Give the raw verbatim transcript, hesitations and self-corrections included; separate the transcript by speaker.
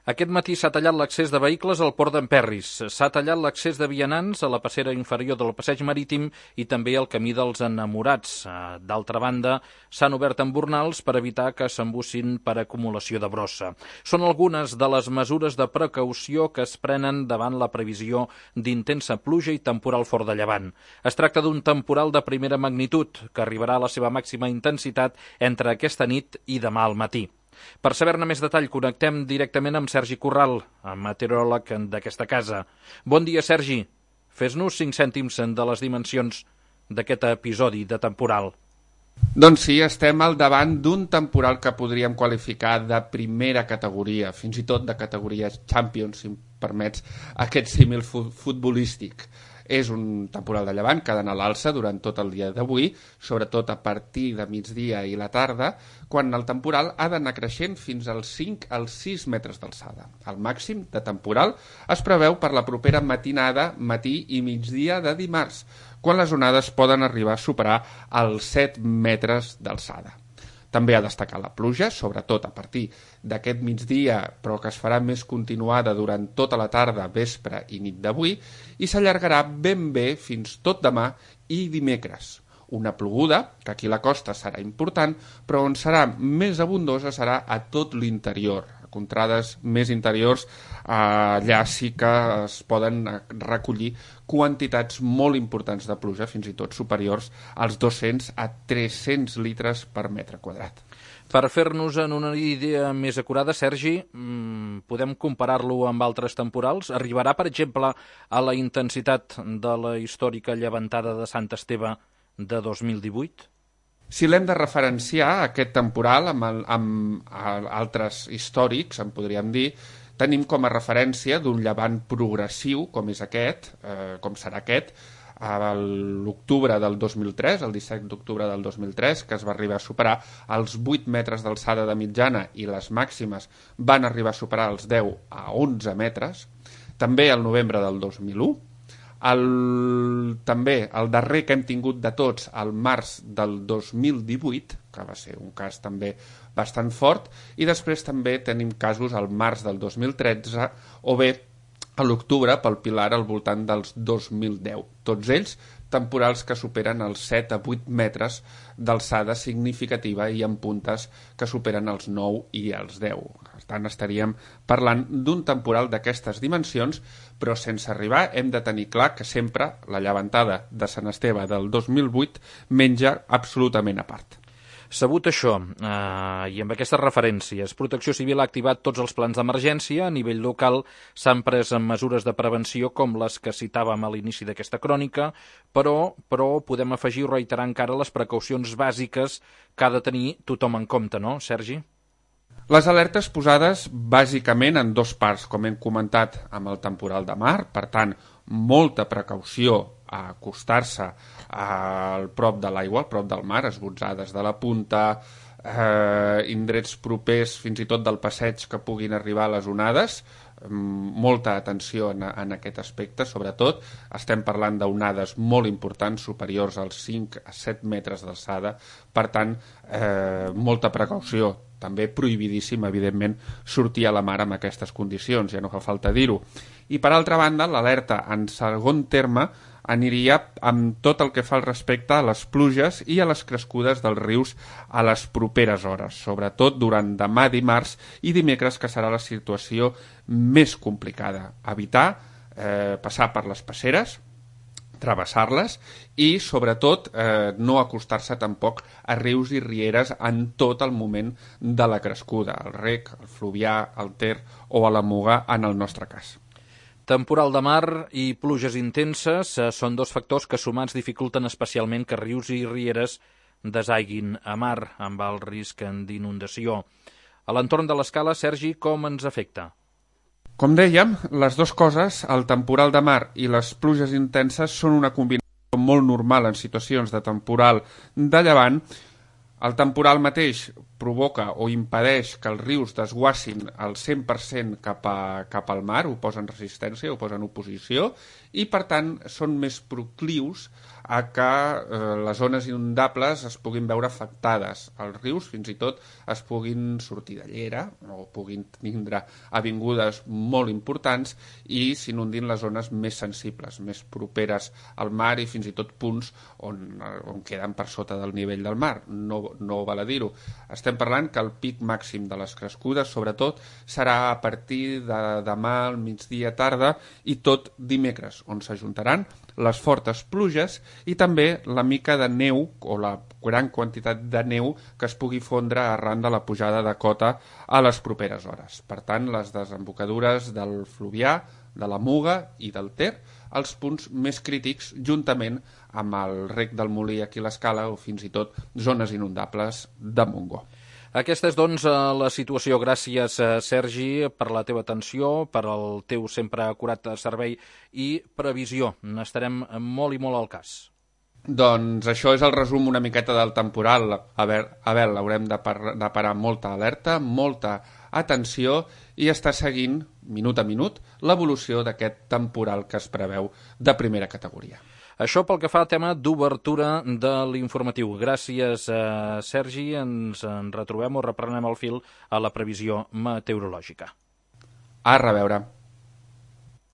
Speaker 1: Aquest matí s'ha tallat l'accés de vehicles al port d'Emperris, s'ha tallat l'accés de vianants a la passera inferior del passeig marítim i també al camí dels Enamorats. D'altra banda, s'han obert embornals per evitar que s'embussin per acumulació de brossa. Són algunes de les mesures de precaució que es prenen davant la previsió d'intensa pluja i temporal fort de llevant. Es tracta d'un temporal de primera magnitud que arribarà a la seva màxima intensitat entre aquesta nit i demà al matí. Per saber-ne més detall, connectem directament amb Sergi Corral, meteoròleg d'aquesta casa. Bon dia, Sergi. Fes-nos cinc cèntims de les dimensions d'aquest episodi de temporal.
Speaker 2: Doncs sí, estem al davant d'un temporal que podríem qualificar de primera categoria, fins i tot de categoria Champions, si em permets aquest símil futbolístic. És un temporal de llevant que ha d'anar a l'alça durant tot el dia d'avui, sobretot a partir de migdia i la tarda, quan el temporal ha d'anar creixent fins als cinc als sis metres d'alçada. El màxim de temporal es preveu per la propera matinada, matí i migdia de dimarts, quan les onades poden arribar a superar els set metres d'alçada. També ha destacat la pluja, sobretot a partir d'aquest migdia, però que es farà més continuada durant tota la tarda, vespre i nit d'avui, i s'allargarà ben bé fins tot demà i dimecres. Una ploguda, que aquí a la costa serà important, però on serà més abundosa serà a tot l'interior. A contrades més interiors, allà sí que es poden recollir quantitats molt importants de pluja, fins i tot superiors als dos-cents a tres-cents litres per metre quadrat.
Speaker 1: Per fer-nos en una idea més acurada, Sergi, podem comparar-lo amb altres temporals? Arribarà, per exemple, a la intensitat de la històrica llevantada de Sant Esteve de dos mil divuit?
Speaker 2: Si l'hem de referenciar, aquest temporal, amb, el, amb altres històrics, en podríem dir, tenim com a referència d'un llevant progressiu, com és aquest, eh, com serà aquest, a l'octubre del dos mil tres, el disset d'octubre del dos mil tres, que es va arribar a superar els vuit metres d'alçada de mitjana i les màximes van arribar a superar els deu a onze metres. També el novembre del dos mil u, el, també el darrer que hem tingut de tots, el març del dos mil divuit, que va ser un cas també bastant fort, i després també tenim casos al març del dos mil tretze o bé a l'octubre pel Pilar al voltant dels dos mil deu. Tots ells temporals que superen els set a vuit metres d'alçada significativa i amb puntes que superen els nou i els deu. Per tant, estaríem parlant d'un temporal d'aquestes dimensions, però sense arribar hem de tenir clar que sempre la llevantada de Sant Esteve del dos mil vuit menja absolutament a part.
Speaker 1: Sabut això, eh, i amb aquestes referències, Protecció Civil ha activat tots els plans d'emergència. A nivell local s'han pres mesures de prevenció com les que citàvem a l'inici d'aquesta crònica, però, però podem afegir o reiterar encara les precaucions bàsiques que ha de tenir tothom en compte, no, Sergi?
Speaker 2: Les alertes posades bàsicament en dos parts, com hem comentat amb el temporal de mar, per tant, molta precaució a acostar-se al prop de l'aigua, al prop del mar, esbotzades de la punta, eh, indrets propers fins i tot del passeig que puguin arribar a les onades, molta atenció en, en aquest aspecte, sobretot estem parlant d'onades molt importants, superiors als cinc a set metres d'alçada, per tant, eh, molta precaució. També prohibidíssim, evidentment, sortir a la mar amb aquestes condicions, ja no fa falta dir-ho. I, per altra banda, l'alerta en segon terme aniria amb tot el que fa al respecte a les pluges i a les crescudes dels rius a les properes hores, sobretot durant demà dimarts i dimecres, que serà la situació més complicada. Evitar eh, passar per les passeres, travessar-les i, sobretot, eh, no acostar-se tampoc a rius i rieres en tot el moment de la crescuda, el rec, el fluvià, el ter o a la Muga, en el nostre cas.
Speaker 1: Temporal de mar i pluges intenses eh, són dos factors que sumats dificulten especialment que rius i rieres desaiguin a mar amb el risc d'inundació. A l'entorn de l'escala, Sergi, com ens afecta?
Speaker 2: Com dèiem, les dues coses, el temporal de mar i les pluges intenses, són una combinació molt normal en situacions de temporal de llevant. El temporal mateix provoca o impedeix que els rius desguassin al cent per cent cap, a, cap al mar, ho posen resistència, ho posen oposició, i per tant són més proclius a que eh, les zones inundables es puguin veure afectades. Els rius fins i tot es puguin sortir de llera o puguin tindre avingudes molt importants i s'inundin les zones més sensibles, més properes al mar i fins i tot punts on, on queden per sota del nivell del mar. No, no val a dir-ho. Estem parlant que el pic màxim de les crescudes, sobretot, serà a partir de demà al migdia tarda i tot dimecres, on s'ajuntaran les fortes pluges i també la mica de neu o la gran quantitat de neu que es pugui fondre arran de la pujada de cota a les properes hores. Per tant, les desembocadures del Fluvià, de la Muga i del Ter, els punts més crítics juntament amb el rec del Molí aquí a l'Escala o fins i tot zones inundables de Montgó.
Speaker 1: Aquesta és, doncs, la situació. Gràcies, Sergi, per la teva atenció, per el teu sempre acurat servei i previsió. N'estarem molt i molt al cas.
Speaker 2: Doncs això és el resum una miqueta del temporal. A veure, a veure haurem de, par de parar molta alerta, molta atenció i estar seguint, minut a minut, l'evolució d'aquest temporal que es preveu de primera categoria.
Speaker 1: Això pel que fa al tema d'obertura de l'informatiu. Gràcies, eh, Sergi. Ens en retrobem o reprenem el fil a la previsió meteorològica.
Speaker 2: A reveure.